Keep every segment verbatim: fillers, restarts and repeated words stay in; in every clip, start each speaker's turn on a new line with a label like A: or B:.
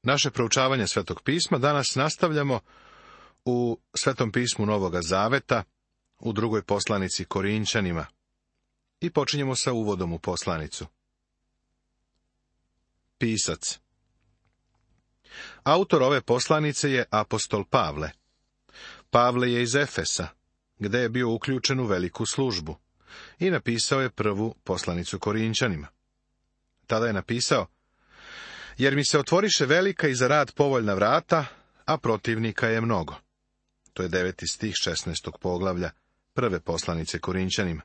A: Naše proučavanje Svetog pisma danas nastavljamo u Svetom pismu Novoga Zaveta, u drugoj poslanici Korinčanima. I počinjemo sa uvodom u poslanicu. Pisac. Autor ove poslanice je apostol Pavle. Pavle je iz Efesa, gde je bio uključen u veliku službu, i napisao je prvu poslanicu Korinčanima. Tada je napisao: jer mi se otvoriše velika i za rad povoljna vrata, a protivnika je mnogo. To je deveti stih šesnaestog poglavlja prve poslanice Korinčanima.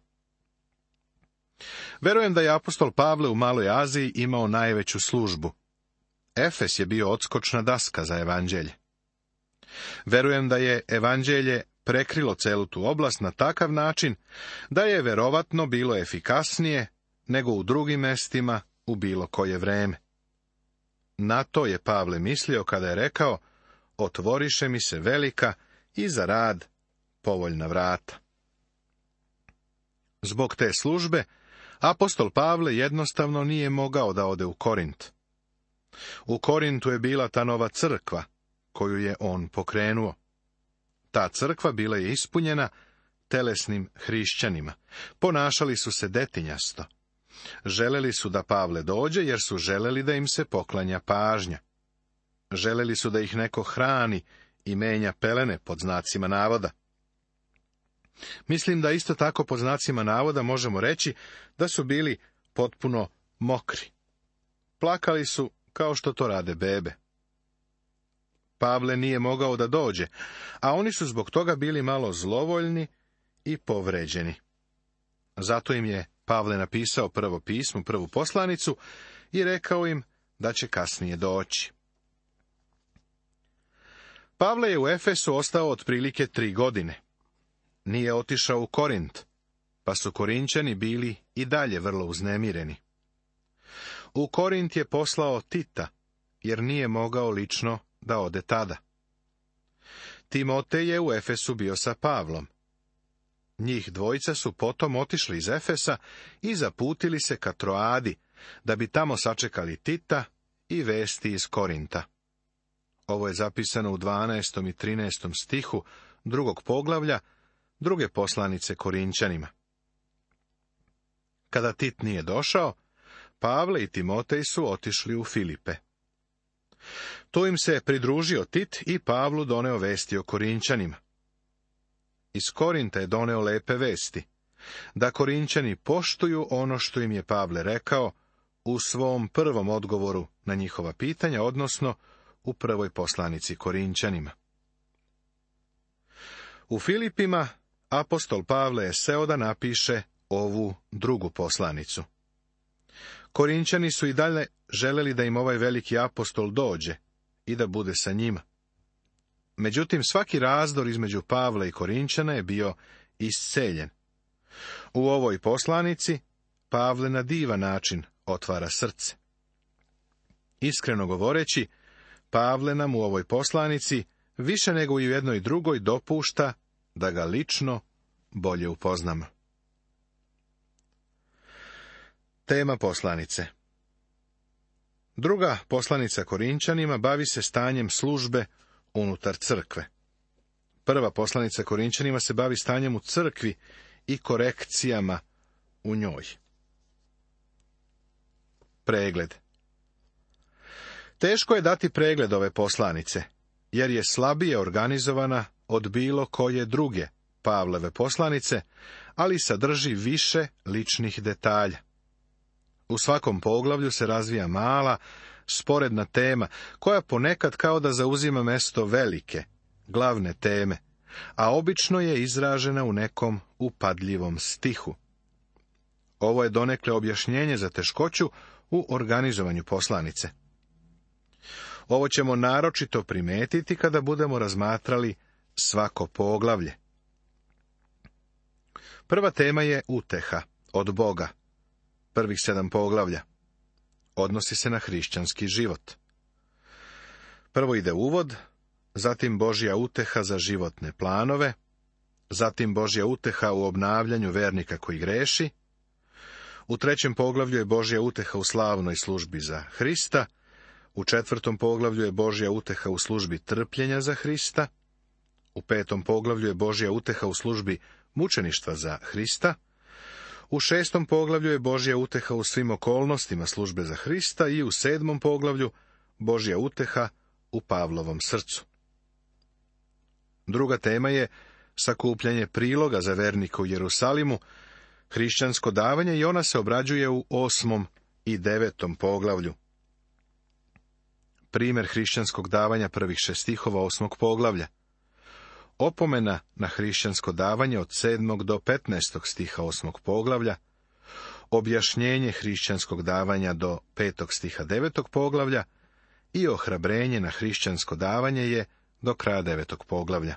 A: Verujem da je apostol Pavle u Maloj Aziji imao najveću službu. Efes je bio odskočna daska za evanđelje. Verujem da je evanđelje prekrilo celu tu oblast na takav način da je verovatno bilo efikasnije nego u drugim mestima u bilo koje vreme. Na to je Pavle mislio kada je rekao: otvoriše mi se velika i za rad povoljna vrata. Zbog te službe apostol Pavle jednostavno nije mogao da ode u Korint. U Korintu je bila ta nova crkva koju je on pokrenuo. Ta crkva bila je ispunjena telesnim hrišćanima. Ponašali su se detinjasto. Želeli su da Pavle dođe jer su želeli da im se poklanja pažnja. Želeli su da ih neko hrani i menja pelene pod znacima navoda. Mislim da isto tako pod znacima navoda možemo reći da su bili potpuno mokri. Plakali su kao što to rade bebe. Pavle nije mogao da dođe, a oni su zbog toga bili malo zlovoljni i povređeni. Zato im je Pavle napisao prvo pismo, prvu poslanicu i rekao im da će kasnije doći. Pavle je u Efesu ostao otprilike tri godine. Nije otišao u Korint, pa su Korinčani bili i dalje vrlo uznemireni. U Korint je poslao Tita, jer nije mogao lično da ode tada. Timotej je u Efesu bio sa Pavlom. Njih dvojica su potom otišli iz Efesa i zaputili se ka Troadi, da bi tamo sačekali Tita i vesti iz Korinta. Ovo je zapisano u dvanaestom i trinaestom stihu drugog poglavlja druge poslanice Korinčanima. Kada Tit nije došao, Pavle i Timotej su otišli u Filipe. Tu im se pridružio Tit i Pavlu doneo vesti o Korinčanima. Iz Korinta je doneo lepe vesti, da Korinčani poštuju ono što im je Pavle rekao u svom prvom odgovoru na njihova pitanja, odnosno u prvoj poslanici Korinčanima. U Filipima apostol Pavle je seo da napiše ovu drugu poslanicu. Korinčani su i dalje želeli da im ovaj veliki apostol dođe i da bude sa njima. Međutim, svaki razdor između Pavla i Korinčana je bio isceljen. U ovoj poslanici Pavle na divan način otvara srce. Iskreno govoreći, Pavle nam u ovoj poslanici više nego i u jednoj drugoj dopušta da ga lično bolje upoznamo. Tema poslanice. Druga poslanica Korinčanima bavi se stanjem službe unutar crkve. Prva poslanica Korinčanima se bavi stanjem u crkvi i korekcijama u njoj. Pregled. Teško je dati pregled ove poslanice, jer je slabije organizovana od bilo koje druge Pavlove poslanice, ali sadrži više ličnih detalja. U svakom poglavlju se razvija mala, sporedna tema, koja ponekad kao da zauzima mesto velike, glavne teme, a obično je izražena u nekom upadljivom stihu. Ovo je donekle objašnjenje za teškoću u organizovanju poslanice. Ovo ćemo naročito primetiti kada budemo razmatrali svako poglavlje. Prva tema je uteha od Boga. Prvih sedam poglavlja. Odnosi se na hrišćanski život. Prvo ide uvod, zatim Božja uteha za životne planove, zatim Božja uteha u obnavljanju vernika koji greši, u trećem poglavlju je Božja uteha u slavnoj službi za Hrista, U četvrtom poglavlju je Božja uteha u službi trpljenja za Hrista. U petom poglavlju je Božja uteha u službi mučeništva za Hrista. U šestom poglavlju je Božja uteha u svim okolnostima službe za Hrista i u sedmom poglavlju Božja uteha u Pavlovom srcu. Druga tema je sakupljanje priloga za vernike u Jerusalimu, hrišćansko davanje, i ona se obrađuje u osmom i devetom poglavlju. Primjer hrišćanskog davanja prvih šest stihova osmog poglavlja. Opomena na hrišćansko davanje od sedmog do petnaestog stiha osmog poglavlja. Objašnjenje hrišćanskog davanja do petog stiha devetog poglavlja i ohrabrenje na hrišćansko davanje je do kraja devetog poglavlja.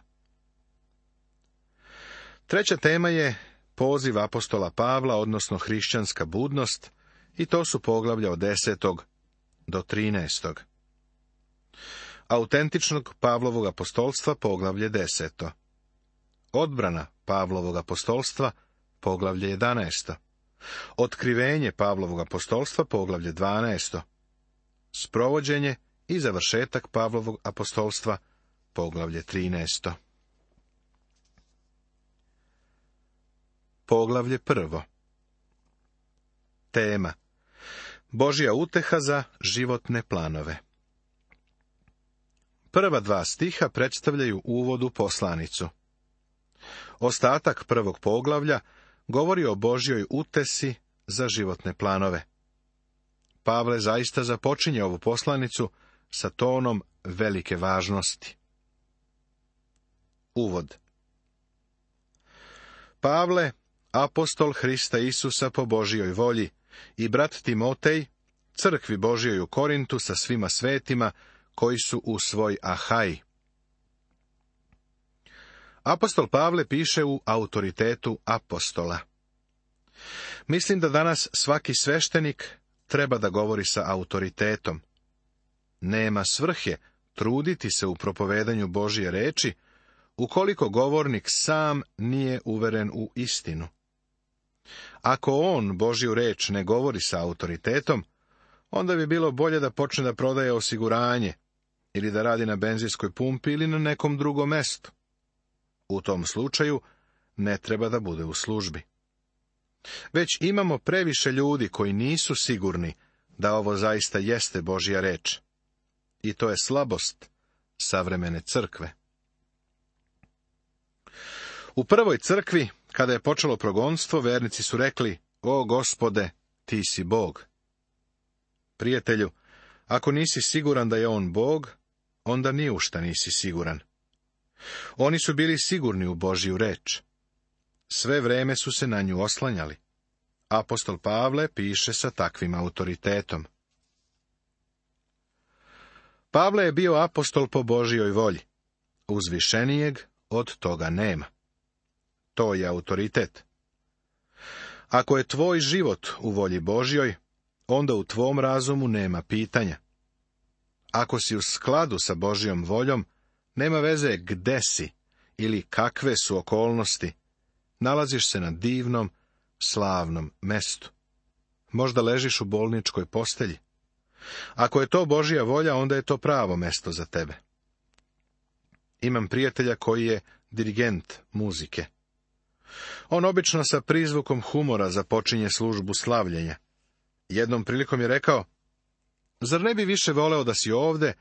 A: Treća tema je poziv apostola Pavla, odnosno hrišćanska budnost, i to su poglavlja od desetog do trinaestog. Autentičnog Pavlovog apostolstva, poglavlje deseto. Odbrana Pavlovog apostolstva, poglavlje jedanaesto. Otkrivenje Pavlovog apostolstva, poglavlje dvanaesto. Sprovođenje i završetak Pavlovog apostolstva, poglavlje trinaesto. Poglavlje prvo. Tema: Božja uteha za životne planove. Prva dva stiha predstavljaju uvod u poslanicu. Ostatak prvog poglavlja govori o Božjoj utesi za životne planove. Pavle zaista započinje ovu poslanicu sa tonom velike važnosti. Uvod. Pavle, apostol Hrista Isusa po Božjoj volji, i brat Timotej, crkvi Božjoj u Korintu sa svima svetima koji su u svoj Ahaji. Apostol Pavle piše u autoritetu apostola. Mislim da danas svaki sveštenik treba da govori sa autoritetom. Nema svrhe truditi se u propovedanju Božje reči, ukoliko govornik sam nije uveren u istinu. Ako on Božju reč ne govori sa autoritetom, onda bi bilo bolje da počne da prodaje osiguranje, ili da radi na benzinskoj pumpi ili na nekom drugom mestu. U tom slučaju ne treba da bude u službi. Već imamo previše ljudi koji nisu sigurni da ovo zaista jeste Božja reč. I to je slabost savremene crkve. U prvoj crkvi, kada je počelo progonstvo, vernici su rekli: O Gospode, ti si Bog. Prijatelju, ako nisi siguran da je on Bog, onda ni u šta nisi siguran. Oni su bili sigurni u Božju reč. Sve vreme su se na nju oslanjali. Apostol Pavle piše sa takvim autoritetom. Pavle je bio apostol po Božjoj volji. Uzvišenijeg od toga nema. To je autoritet. Ako je tvoj život u volji Božjoj, onda u tvom razumu nema pitanja. Ako si u skladu sa Božjom voljom, nema veze gde si ili kakve su okolnosti, nalaziš se na divnom, slavnom mestu. Možda ležiš u bolničkoj postelji. Ako je to Božja volja, onda je to pravo mesto za tebe. Imam prijatelja koji je dirigent muzike. On obično sa prizvukom humora započinje službu slavljenja. Jednom prilikom je rekao: Zar ne bi više voleo da si ovde,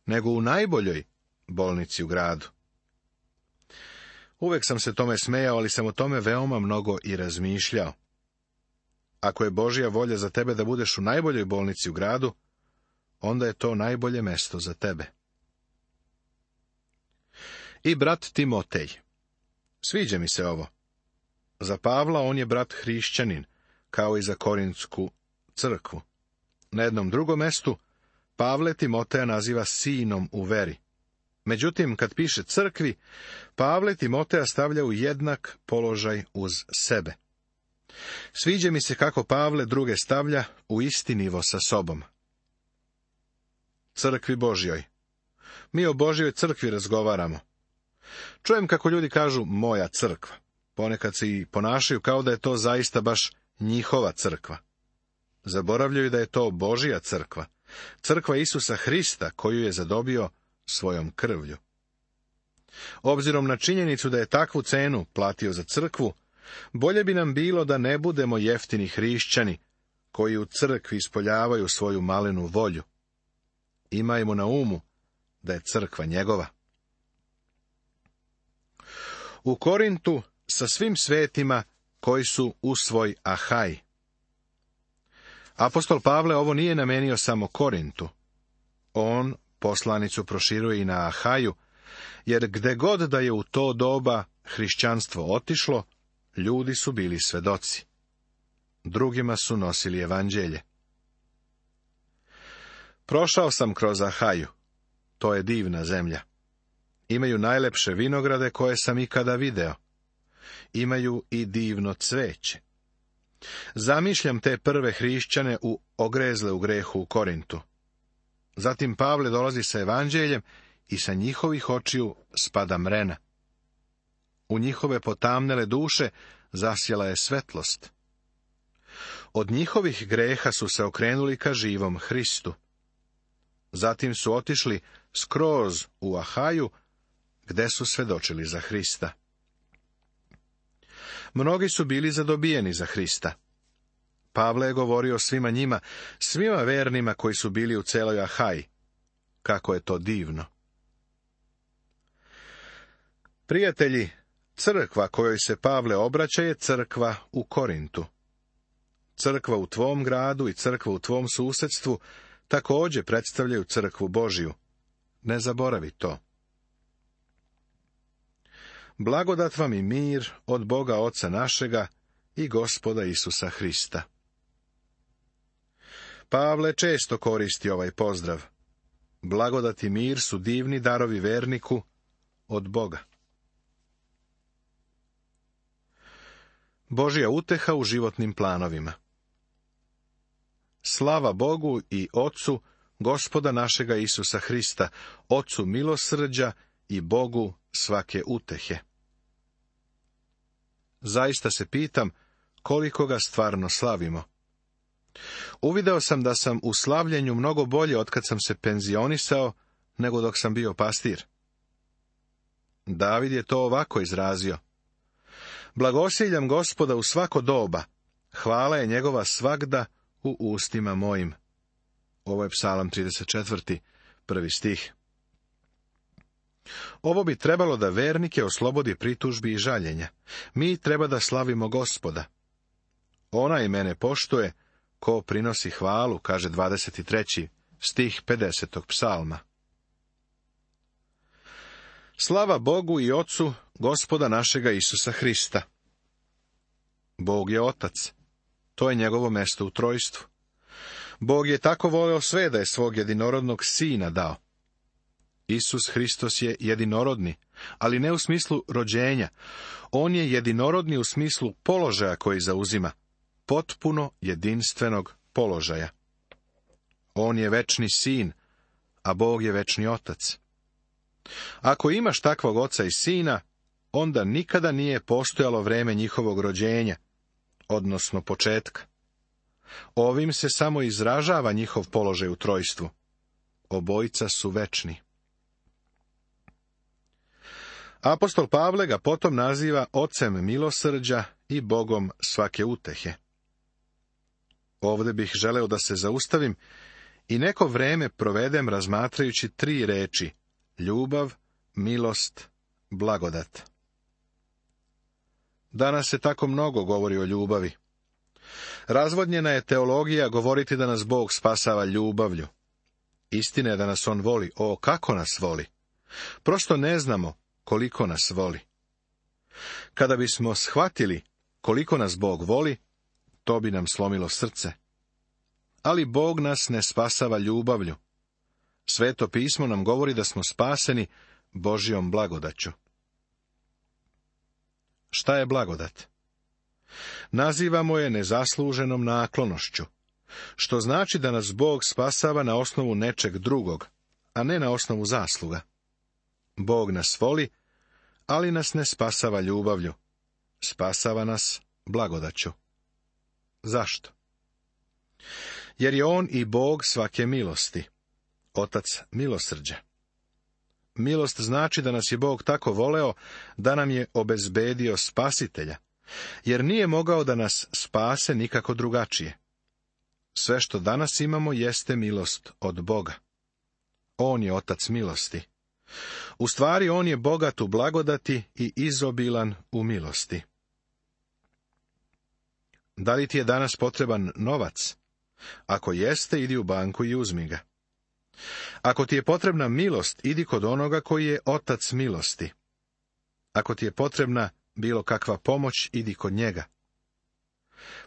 A: nego u najboljoj bolnici u gradu? Uvek sam se tome smejao, ali sam o tome veoma mnogo i razmišljao. Ako je Božja volja za tebe da budeš u najboljoj bolnici u gradu, onda je to najbolje mesto za tebe. I brat Timotej. Sviđa mi se ovo. Za Pavla on je brat hrišćanin, kao i za Korintsku crkvu. Na jednom drugom mestu Pavle Timoteja naziva sinom u veri. Međutim, kad piše crkvi, Pavle Timoteja stavlja u jednak položaj uz sebe. Sviđa mi se kako Pavle druge stavlja u isti nivo sa sobom. Crkvi Božjoj. Mi o Božjoj crkvi razgovaramo. Čujem kako ljudi kažu moja crkva. Ponekad se i ponašaju kao da je to zaista baš njihova crkva. Zaboravljaju da je to Božja crkva crkva Isusa Hrista koju je zadobio svojom krvlju. Obzirom na činjenicu da je takvu cenu platio za crkvu, bolje bi nam bilo da ne budemo jeftini hrišćani koji u crkvi ispoljavaju svoju malenu volju. Imajmo na umu da je crkva njegova. U Korintu sa svim svetima koji su u svoj Ahaj. Apostol Pavle ovo nije namenio samo Korintu. On poslanicu proširuje i na Ahaju, jer gde god da je u to doba hrišćanstvo otišlo, ljudi su bili svedoci. Drugima su nosili evanđelje. Prošao sam kroz Ahaju. To je divna zemlja. Imaju najlepše vinograde koje sam ikada video. Imaju i divno cveće. Zamišljam te prve hrišćane u ogrezle u grehu u Korintu. Zatim Pavle dolazi sa evanđeljem i sa njihovih očiju spada mrena. U njihove potamnele duše zasjela je svetlost. Od njihovih greha su se okrenuli ka živom Hristu. Zatim su otišli skroz u Ahaju, gde su svedočili za Hrista. Mnogi su bili zadobijeni za Hrista. Pavle je govorio svima njima, svima vernima koji su bili u celoj Ahaji. Kako je to divno. Prijatelji, crkva kojoj se Pavle obraća je crkva u Korintu. Crkva u tvom gradu i crkva u tvom susedstvu također predstavljaju crkvu Božiju. Ne zaboravi to. Blagodat vam i mir od Boga Oca našega i Gospoda Isusa Hrista. Pavle često koristi ovaj pozdrav. Blagodat i mir su divni darovi verniku od Boga. Božja uteha u životnim planovima. Slava Bogu i Ocu, Gospoda našega Isusa Hrista, Ocu milosrđa i Bogu svake utehe. Zaista se pitam koliko ga stvarno slavimo. Uvideo sam da sam u slavljenju mnogo bolje otkad sam se penzionisao nego dok sam bio pastir. David je to ovako izrazio. Blagosiljam Gospoda u svako doba, hvala je njegova svagda u ustima mojim. Ovo je Psalam trideset četvrti, prvi stih. Ovo bi trebalo da vernike oslobodi pritužbi i žaljenja. Mi treba da slavimo Gospoda. Onaj mene poštuje, ko prinosi hvalu, kaže dvadeset treći stih pedesetog psalma. Slava Bogu i Ocu, Gospoda našega Isusa Hrista. Bog je Otac. To je njegovo mesto u trojstvu. Bog je tako voleo sve da je svog jedinorodnog Sina dao. Isus Hristos je jedinorodni, ali ne u smislu rođenja. On je jedinorodni u smislu položaja koji zauzima, potpuno jedinstvenog položaja. On je večni Sin, a Bog je večni Otac. Ako imaš takvog oca i sina, onda nikada nije postojalo vreme njihovog rođenja, odnosno početka. Ovim se samo izražava njihov položaj u trojstvu. Obojica su večni. Apostol Pavle ga potom naziva Ocem milosrđa i Bogom svake utehe. Ovde bih želeo da se zaustavim i neko vreme provedem razmatrajući tri reči: ljubav, milost, blagodat. Danas se tako mnogo govori o ljubavi. Razvodnjena je teologija govoriti da nas Bog spasava ljubavlju. Istina je da nas on voli. O, kako nas voli! Prosto ne znamo koliko nas voli. Kada bismo shvatili koliko nas Bog voli, to bi nam slomilo srce. Ali Bog nas ne spasava ljubavlju. Sveto pismo nam govori da smo spaseni Božjom blagodaću. Šta je blagodat? Nazivamo je nezasluženom naklonošću, što znači da nas Bog spasava na osnovu nečeg drugog, a ne na osnovu zasluga. Bog nas voli, ali nas ne spasava ljubavlju. Spasava nas blagodaću. Zašto? jer je on i Bog svake milosti, Otac milosrđa. Milost znači da nas je Bog tako voleo da nam je obezbedio spasitelja, jer nije mogao da nas spase nikako drugačije. Sve što danas imamo jeste milost od Boga. On je Otac milosti. U stvari, on je bogat u blagodati i izobilan u milosti. Da li ti je danas potreban novac? Ako jeste, idi u banku i uzmi ga. Ako ti je potrebna milost, idi kod onoga koji je Otac milosti. Ako ti je potrebna bilo kakva pomoć, idi kod njega.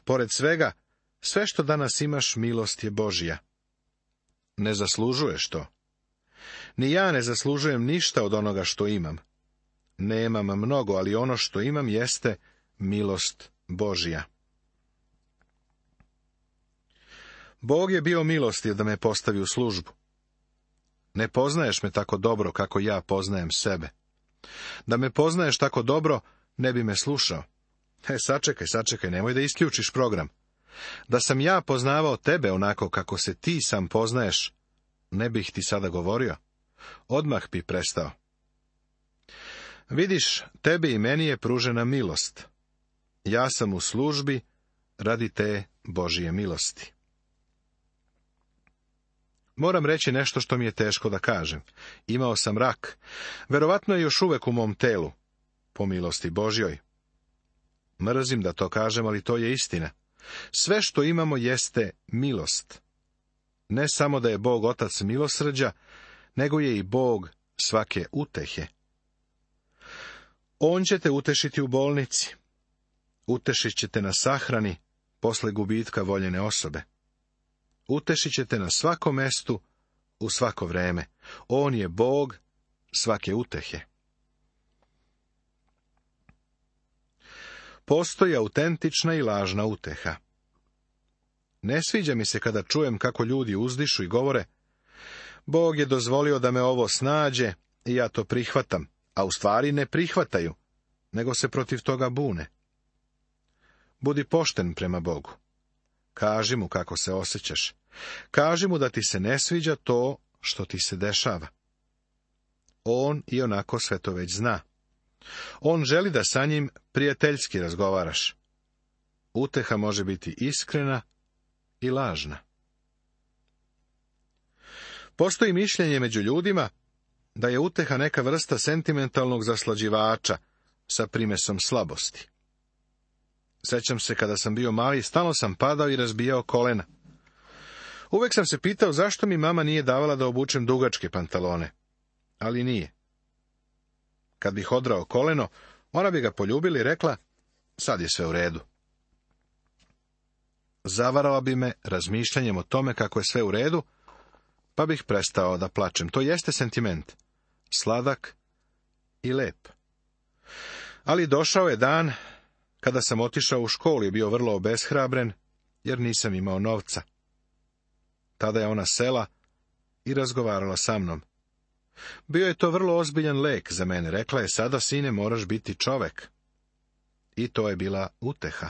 A: Pored svega, sve što danas imaš, milost je Božja. Ne zaslužuješ to. Ni ja ne zaslužujem ništa od onoga što imam. Nemam mnogo, ali ono što imam jeste milost Božja. Bog je bio milostiv da me postavi u službu. Ne poznaješ me tako dobro kako ja poznajem sebe. Da me poznaješ tako dobro, ne bi me slušao. E, sačekaj, sačekaj, nemoj da isključiš program. Da sam ja poznavao tebe onako kako se ti sam poznaješ, ne bih ti sada govorio. Odmah bi prestao. Vidiš, tebi i meni je pružena milost. Ja sam u službi radi te Božije milosti. Moram reći nešto što mi je teško da kažem. Imao sam rak. Verovatno je još uvek u mom telu. Po milosti Božjoj. Mrzim da to kažem, ali to je istina. Sve što imamo jeste milost. Ne samo da je Bog Otac milosrđa, nego je i Bog svake utehe. On će te utešiti u bolnici. Utešit će te na sahrani posle gubitka voljene osobe. Utešit će te na svakom mestu, u svako vreme. On je Bog svake utehe. Postoji autentična i lažna uteha. Ne sviđa mi se kada čujem kako ljudi uzdišu i govore: Bog je dozvolio da me ovo snađe i ja to prihvatam, a u stvari ne prihvataju, nego se protiv toga bune. Budi pošten prema Bogu. Kaži mu kako se osjećaš. Kaži mu da ti se ne sviđa to što ti se dešava. On i onako sve to već zna. On želi da sa njim prijateljski razgovaraš. Uteha može biti iskrena i lažna. Postoji mišljenje među ljudima da je uteha neka vrsta sentimentalnog zaslađivača sa primesom slabosti. Sećam se kada sam bio mali, stalno sam padao i razbijao kolena. Uvek sam se pitao zašto mi mama nije davala da obučem dugačke pantalone, ali nije. Kad bih odrao koleno, ona bi ga poljubila i rekla: sad je sve u redu. Zavarala bi me razmišljanjem o tome kako je sve u redu, pa bih prestao da plačem. To jeste sentiment, sladak i lep. Ali došao je dan kada sam otišao u školu i bio vrlo obeshrabren, jer nisam imao novca. Tada je ona sela i razgovarala sa mnom. Bio je to vrlo ozbiljan lek za mene. Rekla je: sada, sine, moraš biti čovek. I to je bila uteha.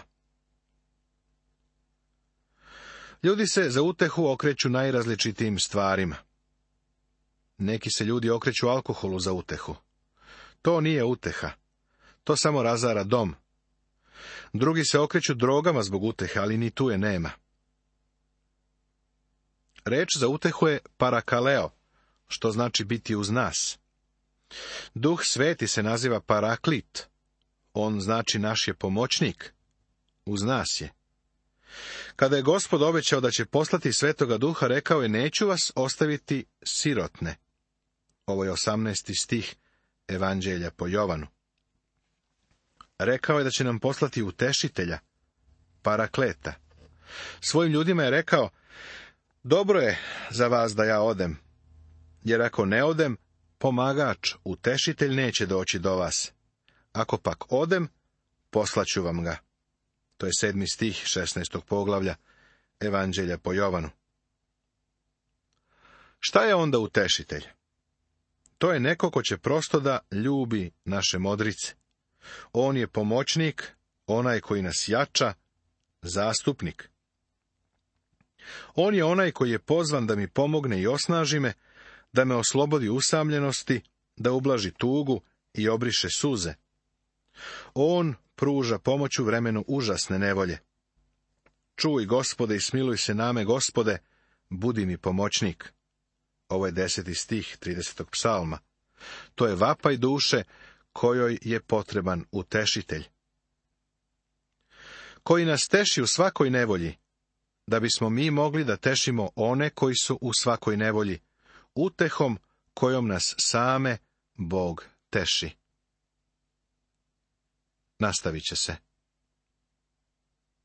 A: Ljudi se za utehu okreću najrazličitijim stvarima. Neki se ljudi okreću alkoholu za utehu. To nije uteha. To samo razara dom. Drugi se okreću drogama zbog utehe, ali ni tu je nema. Reč za utehu je parakaleo, što znači biti uz nas. Duh Sveti se naziva paraklit. On znači naš je pomoćnik. Uz nas je. Kada je Gospod obećao da će poslati Svetoga Duha, rekao je: neću vas ostaviti sirotne. Ovo je osamnaesti stih Evanđelja po Jovanu. Rekao je da će nam poslati utešitelja, parakleta. Svojim ljudima je rekao: dobro je za vas da ja odem, jer ako ne odem, pomagač, utešitelj neće doći do vas. Ako pak odem, poslaću vam ga. To je sedmi stih šesnaestog poglavlja Evanđelja po Jovanu. Šta je onda utešitelj? To je neko ko će prosto da ljubi naše modrice. On je pomoćnik, onaj koji nas jača, zastupnik. On je onaj koji je pozvan da mi pomogne i osnaži me, da me oslobodi usamljenosti, da ublaži tugu i obriše suze. On pruža pomoć u vremenu užasne nevolje. Čuj, Gospode, i smiluj se name, Gospode, budi mi pomoćnik. Ovo je deseti stih tridesetog psalma. To je vapaj duše kojoj je potreban utešitelj. Koji nas teši u svakoj nevolji, da bismo mi mogli da tešimo one koji su u svakoj nevolji, utehom kojom nas same Bog teši. Nastavit će se.